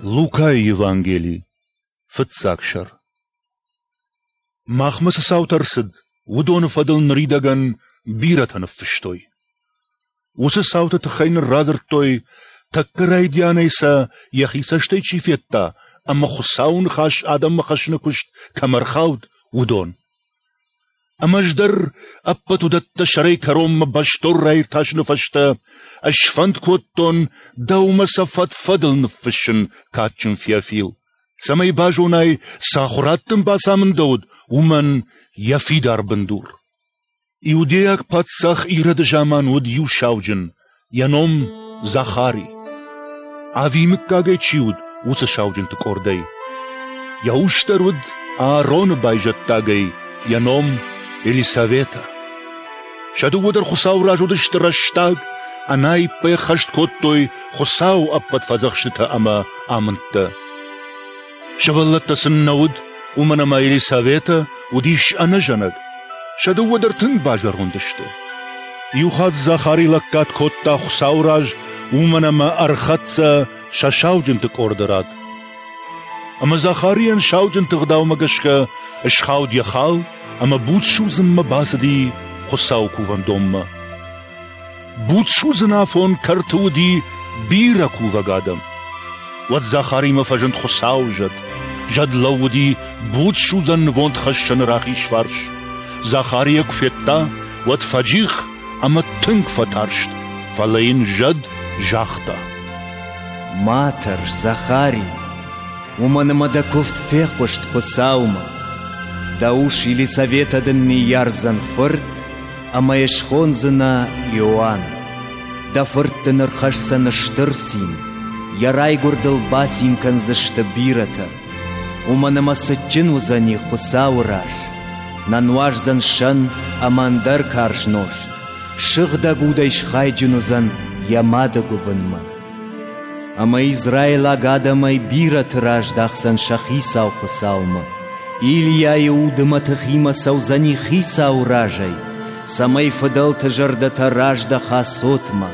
Лукайы Евангели, фыццаг сӕр. Махмӕ цы цаутӕ рцыд, уыдоны фӕдыл ныридӕгӕн бирӕтӕ ныффыстой. Уыцы цауты тыххӕй нын радзырдтой, тӕккӕ райдианӕй сӕ йӕхи цӕстӕй чи федта ӕмӕ Хуыцауы ныхас адӕммӕ хӕссыны куыст кӕм ӕрхауд, уыдон. Ӕмӕ ӕз дӕр ӕппӕт уыдӕттӕ сӕрӕй кӕронмӕ бӕстон раиртасыны фӕстӕ сфӕнд кодтон дӕумӕ сӕ фӕд-фӕдыл ныффыссын, кадджын Феофил, цӕмӕй базонай, цы ахуырад дын бацамындӕуыд, уымӕн йӕ фидар бындур. Иудейаг паддзах Ироды заман уыд иу сауджын, йӕ ном Захари. Ави мыггагӕй чи уыд, уыцы сауджынты къордӕй. Йӕ ус дӕр уыд Аароны байзӕддагӕй, йӕ ном Елисаветӕ. Сӕ дыууӕ дӕр Хуыцауы раз уыдысты рӕстаг, ӕнаиппӕй ӕххӕст кодтой Хуыцауы ӕппӕт фӕдзӕхстытӕ ӕмӕ амындтӕ. Сывӕллӕттӕ сын нӕ уыд, уымӕн ӕмӕ Елисаветӕ уыдис ӕнӕзӕнӕг. Сӕ дыууӕ дӕр тынг базӕронд сты. Иухатт Захари лӕггад кодта Хуыцауы раз, уымӕн ӕмӕ ӕрхӕццӕ сӕ сауджынты къорды рад. Ӕмӕ Захарийӕн сауджынты гъдаумӕ гӕсгӕ схауд йӕ хал ӕмӕ буд судзынмӕ бацыди Хуыцауы кувӕндонмӕ. Буд судзын афон кӕрты уыди бирӕ кувӕг адӕм. Уӕд Захаримӕ фӕзынд Хуыцауы зӕд. Зӕд лӕууыди буд судзӕн нывондхӕссӕны рахиз фарс. Захари йӕ куы федта, уӕд фӕджих ӕмӕ тынг фӕтарст, фӕлӕ йын зӕд загъта: Ма тӕрс, Захари, уымӕн ӕмӕ дӕ куывд фехъуыст Хуыцаумӕ. Дӕ ус Елисаветӕ дын ныййардзӕн фырт, ӕмӕ йӕ схондзынӕ Иоанн. Дӕ фырт дын ӕрхӕсдзӕн стыр цин, йӕ райгуырдыл бацин кӕндзысты бирӕтӕ. Уымӕн ӕмӕ цытджын уыдзӕни Хуыцауы раз, нӕ нуаздзӕн сӕн ӕмӕ ӕндӕр карз нозт, сыгъдӕг удӕй схайджын уыдзӕн йӕ мады гуыбынмӕ. Ӕмӕ израилаг адӕмӕй бирӕты раздахдзӕн сӕ хицау Хуыцаумӕ. Илийайы уды мӕтыхимӕ цӕудзӕни хицауы разӕй, цӕмӕй фыдӕлты зӕрдӕтӕ раздӕха цотмӕ,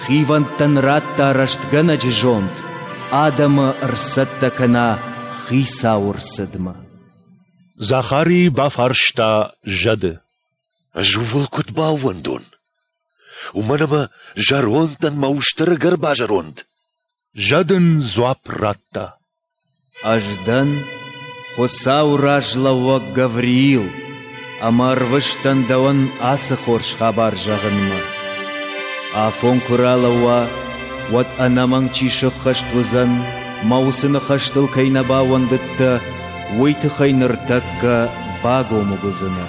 хивӕндтӕн радта рӕстгӕнӕджы зонд, адӕмы ӕрцӕттӕ кӕна хицауы рцыдмӕ. Захари бафарста зӕды. Ӕз ууыл куыд баууӕндон? Уымӕн ӕмӕ зӕронд дӕн мӕ ус дӕр ӕгӕр базӕронд. Зӕд ын дзуапп радта: Ӕз дӕн Хуыцауы раз лӕууӕг Гавриил, ӕмӕ ӕрвыст дӕн дӕуӕн ацы хорз хабар зӕгъынмӕ. Афон куы ралӕууа, уӕд ӕнӕмӕнг чи сыххӕст уыдзӕн, мӕ уыцы ныхӕстыл кӕй нӕ баууӕндыдтӕ, уый тыххӕй ныртӕккӕ багомыг уыдзынӕ.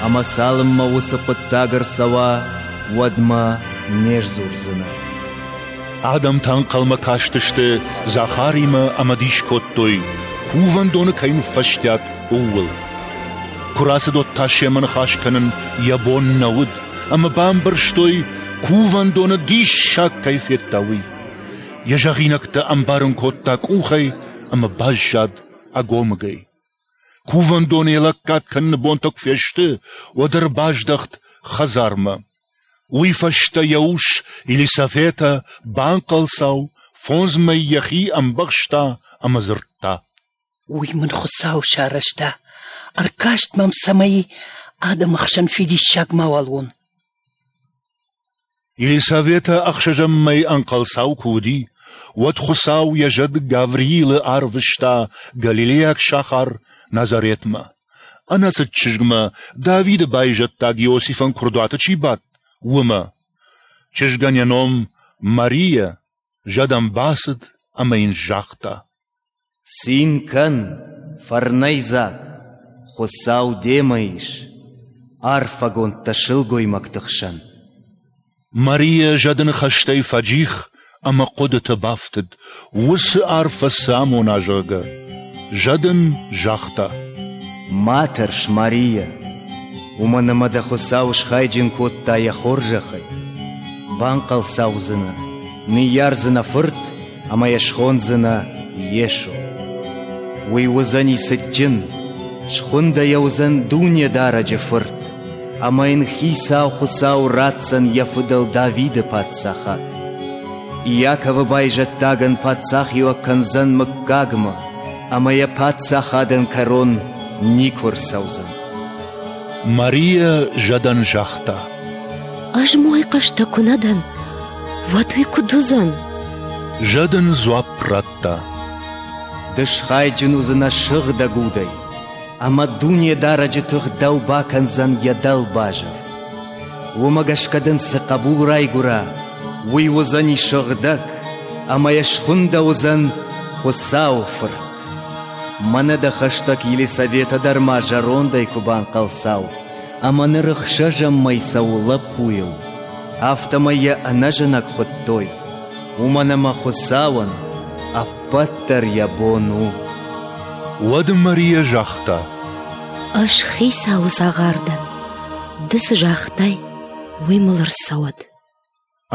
Ӕмӕ цалынмӕ уыцы хъуыддаг ӕрцӕуа, уӕдмӕ не сдзурдзынӕ. Адӕмтӕ ӕнхъӕлмӕ кастысты Захаримӕ ӕмӕ дис кодтой, кувӕндоны кӕй ныффӕстиат, ууыл. Куы рацыд, уӕд та семӕ ныхас кӕнын йӕ бон нӕ уыд, ӕмӕ бамбӕрстой, кувӕндоны диссаг кӕй федта, уый. Йӕ зӕгъинӕгтӕ ӕмбарын кодта къухӕй ӕмӕ баззад ӕгомыгӕй. Кувӕндоны йӕ лӕггад кӕныны бонтӕ куы фесты, уӕд ӕрбаздӕхт хӕдзармӕ. Уый фӕстӕ йӕ ус Елисаветӕ банхъӕлцау, фондз мӕй йӕхи ӕмбӕхста ӕмӕ дзырдта: Уый мын Хуыцау сарӕзта, ӕркаст мӕм, цӕмӕй адӕмы хсӕн фидиссаг мауал уон. Елисаветӕ ӕхсӕзӕм мӕй ӕнхъӕлцау куы уыди, уӕд Хуыцау йӕ зӕд Гавриилы арвыста галилейаг сахар Назаретмӕ. Ӕнӕцыд чызгмӕ, Давиды байзӕддаг Иосифӕн куырдуаты чи бадт, уымӕ. Чызгӕн йӕ ном Мария, зӕд ӕм бацыд ӕмӕ йын загъта: Цин кӕн, фӕрнӕйдзаг, Хуыцау демӕ ис, арфӕгонд дӕ сылгоймӕгты хсӕн. Мария зӕды ныхӕстӕй фӕджих ӕмӕ хъуыдыты бафтыд, уыцы арфӕ цы амона, зӕгъгӕ. Зӕд ын загъта: Ма тӕрс, Мария, уымӕн ӕмӕ дӕ Хуыцау схайджын кодта йӕ хорзӕхӕй. Банхъӕлцаудзынӕ, ныййардзынӕ фырт ӕмӕ йӕ схондзынӕ Йесо. Уый уыдзӕни цытджын, схуындӕ йӕ уыдзӕн Дунедарӕджы Фырт, ӕмӕ йын Хицау Хуыцау ратдзӕн йӕ фыдӕл Давиды паддзахад. Иаковы байзӕддагӕн паддзахиуӕг кӕндзӕн мыггагмӕ, ӕмӕ йӕ паддзахадӕн кӕрон никуы рцӕудзӕн. Марийӕ зӕдӕн загъта: Ӕз мой хъӕстӕ куы нӕ дӕн, уӕд уый куыд уыдзӕн? Зӕд ын дзуапп радта: Ды схайджын уыдзынӕ сыгъдӕг удӕй, ӕмӕ Дунедарӕджы тых дӕу бакӕндзӕн йӕ дӕлбазыр. Уымӕ гӕсгӕ дын цы хъӕбул райгуыра, уый уыдзӕни сыгъдӕг, ӕмӕ йӕ схуындӕуыдзӕн Хуыцауы Фырт. Мӕнӕ дӕ хӕстӕг Елисаветӕ дӕр ма зӕрондӕй куы банхъӕлцау, ӕмӕ ныр ӕхсӕзӕм мӕй цӕуы лӕппуйыл, афтӕмӕй йӕ ӕнӕзӕнӕг хуыдтой, уымӕн ӕмӕ Хуыцауӕн ӕппӕт дӕр йӕ бон у. Уӕд Марийӕ загъта: Ӕз Хицауы цагъар дӕн. Ды цы загътай, уый мыл ӕрцӕуӕд.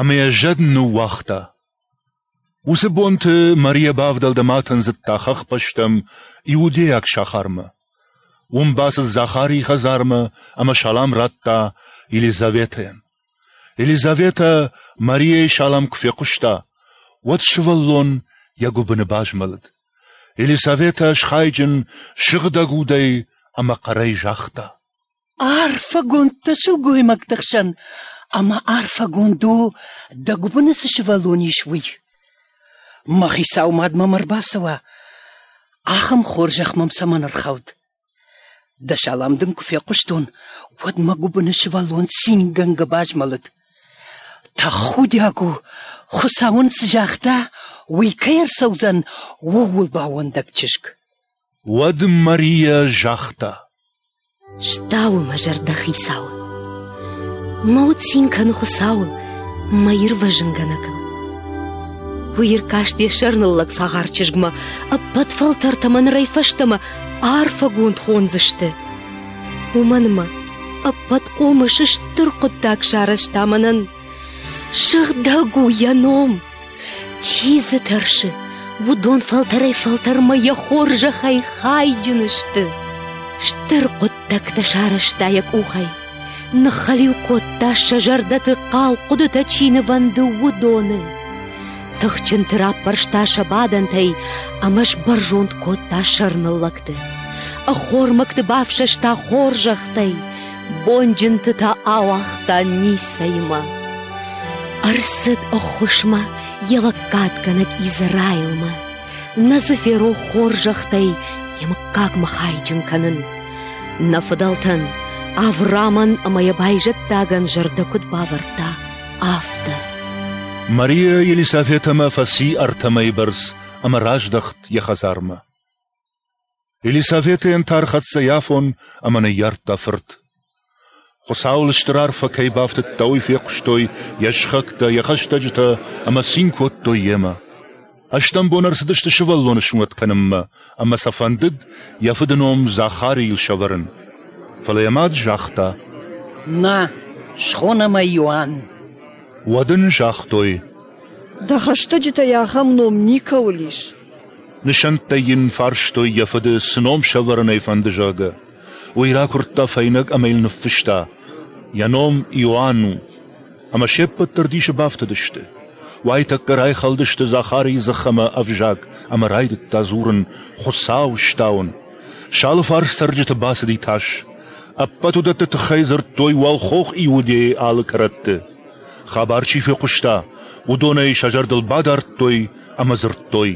Ӕмӕ йӕ зӕд ныууагъта. Уыцы бонты Марийӕ бавдӕлд ӕмӕ атындзыдта хӕхбӕстӕм иудейаг сахармӕ. Уым бацыд Захарийы хӕдзармӕ ӕмӕ салам радта Елизаветӕйӕн. Елизаветӕ Марийӕйы салам куы фехъуыста, уӕд сывӕллон йӕ гуыбыны базмӕлыд. Елисаветӕ схайджын сыгъдӕг удӕй ӕмӕ хъӕрӕй загъта: Арфӕгонд дӕ сылгоймӕгты хсӕн, ӕмӕ арфӕгонд у, дӕ гуыбыны цы сывӕллон ис, уый. Мӕ хицау мад мӕм ӕрбацӕуа, ахӕм хорзӕх мӕм цӕмӕн ӕрхауд? Дӕ салам дын куы фехъуыстон, уӕд мӕ гуыбыны сывӕллон цингӕнгӕ базмӕлыд. Тӕхудиаг у, Хуыцау ын цы загъта, уый кӕй ӕрцӕудзӕн, ууыл баууӕндӕг чызг. Уӕд Мария загъта: Стауы мӕ зӕрдӕ Хицауы. Мӕ уд цин кӕны Хуыцауыл, мӕ ирвӕзынгӕнӕгыл. Уый ӕркаст йӕ сӕрныллӕг цагъар чызгмӕ, ӕппӕт фӕлтӕртӕ мӕ нырӕй фӕстӕмӕ арфӕгонд хондзысты. Уымӕн мӕ ӕппӕт хъомыс стыр хъуыддаг сарӕзта мӕнӕн. Сыгъдӕг у йӕ ном. Чи дзы тӕрсы, уыдон фӕлтӕрӕй-фӕлтӕрмӕ йӕ хорзӕхӕй хайджын сты. Стыр хъуыддӕгтӕ сарӕзта йӕ къухӕй, ныххӕлиу кодта сӕ зӕрдӕты хъал хъуыдытӕ чи нывӕнды, уыдоны. Тыхджынты раппӕрста сӕ бадӕнтӕй ӕмӕ сбӕрзонд кодта сӕрныллӕгты. Ӕххормӕгты бафсӕста хорзӕхтӕй, бонджынты та ауагъта ницӕимӕ. Ӕрцыд ӕххуысмӕ йӕ лӕггадгӕнӕг Израилмӕ. Нӕ дзы ферох хорзӕхтӕй йӕ мыггагмӕ хайджын кӕнын. Нӕ фыдӕлтӕн, Авраамӕн ӕмӕ йӕ байзӕддагӕн зӕрдӕ куыд бавӕрдта, афтӕ. Мария Елисаветӕмӕ фӕци ӕртӕ мӕйы бӕрц ӕмӕ раздӕхт йӕ хӕдзармӕ. Елисаветӕйӕн та ӕрхӕццӕ йӕ афон ӕмӕ ныййардта фырт. Хуыцауыл стыр арфӕ кӕй бафтыдта, уый фехъуыстой йӕ сыхӕгтӕ, йӕ хӕстӕджытӕ ӕмӕ цин кодтой йемӕ. Ӕстӕм бон ӕрцыдысты сывӕллоны сунӕт кӕнынмӕ ӕмӕ сӕ фӕндыд йӕ фыды ном Захарийыл сӕвӕрын. Фӕлӕ йӕ мад загъта: Нӕ, схонӕм ӕй Иоанн. Уӕд ын загътой: Дӕ хӕстӕджытӕй ахӕм ном никӕуыл ис. Нысӕнттӕй йын фарстой йӕ фыды, цы ном сӕвӕрын ӕй фӕнды, зӕгъгӕ. Уый ракуырдта фӕйнӕг ӕмӕ йыл ныффыста: Йӕ ном Иоанн у. Ӕмӕ се ппӕт дӕр дисы бафтыдысты. Уайтӕккӕ райхӕлдысты Захарийы дзых ӕмӕ ӕвзаг ӕмӕ райдыдта дзурын Хуыцау стауын. Сӕ алыфарс цӕрджыты бацыди тас. Ӕппӕт уыдӕтты тыххӕй дзырдтой уӕлхох Иудейы алы кӕрӕтты. Хабар чи фехъуыста, уыдонӕй сӕ зӕрдыл бадардтой ӕмӕ дзырдтой: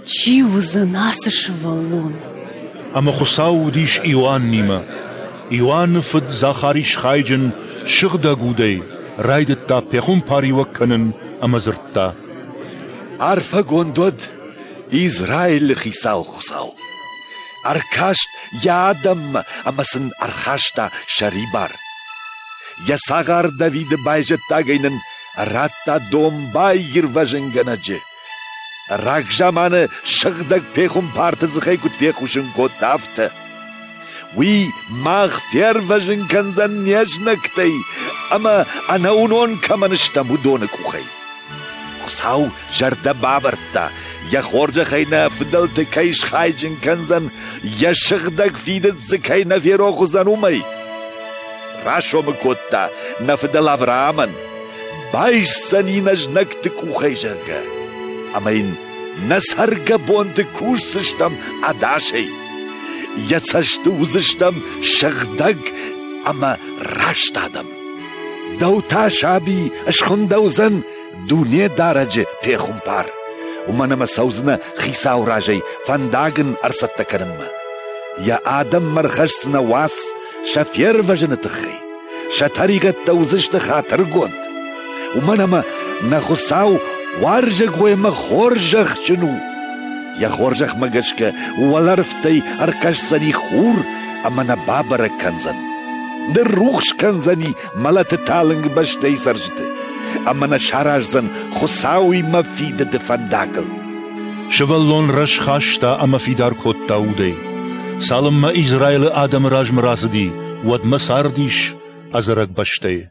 Чи уыдзӕн ацы сывӕллон? Ӕмӕ Хуыцау уыдис Иоаннимӕ. Иоанны фыд Захари схайджын сыгъдӕг удӕй, райдыдта пехуымпариуӕг кӕнын ӕмӕ дзырдта: Арфӕгонд уӕд Израилы хицау Хуыцау! Ӕркаст йӕ адӕммӕ ӕмӕ сын ӕрхаста сӕрибар. Йӕ цагъар Давиды байзӕддагӕй нын радта домбай ирвӕзынгӕнӕджы. Рагзаманы сыгъдӕг пехуымпарты дзыхӕй куыд фехъусын кодта, афтӕ. Уый мах фервӕзын кӕндзӕн не знӕгтӕй ӕмӕ ӕнӕуынон кӕмӕн стӕм, уыдоны къухӕй. Хуыцау зӕрдӕ бавӕрдта, йӕ хорзӕхӕй нӕ фыдӕлты кӕй схайджын кӕндзӕн, йӕ сыгъдӕг фидыд дзы кӕй нӕ ферох уыдзӕн, уымӕй. Расомы кодта нӕ фыдӕл Авраамӕн, Байсдзӕни нӕ знӕгты къухӕй, зӕгъгӕ, ӕмӕ йын нӕ цӕргӕбонты кусдзыстӕм ӕдасӕй. Йӕ цӕсты уыдзыстӕм сыгъдӕг ӕмӕ раст адӕм. Дӕу та, саби, схуындӕуыдзӕн Дунедарӕджы пехуымпар, уымӕн ӕмӕ цӕудзынӕ Хицауы разӕй фӕндаг ын ӕрцӕттӕ кӕнынмӕ. Йӕ адӕммӕ ӕрхӕсдзынӕ уац сӕ фервӕзыны тыххӕй, сӕ тӕригъӕдтӕ уыдзысты хатыргонд. Уымӕн ӕмӕ нӕ Хуыцау уарзӕгой ӕмӕ хорзӕхджын у. Йӕ хорзӕхмӕ гӕсгӕ уӕлӕрвтӕй ӕркӕсдзӕни хур ӕмӕ нӕ бабӕрӕг кӕндзӕн. Ныррухс кӕндзӕни мӕлӕты талынг бӕстӕйы цӕрджыты ӕмӕ нӕ сараздзӕн Хуыцауимӕ фидыды фӕндагыл. Сывӕллон рӕзхаста ӕмӕ фидар кодта удӕй. Цалынмӕ Израилы адӕмы размӕ рацыди, уӕдмӕ цардис ӕдзӕрӕг бӕстӕйы.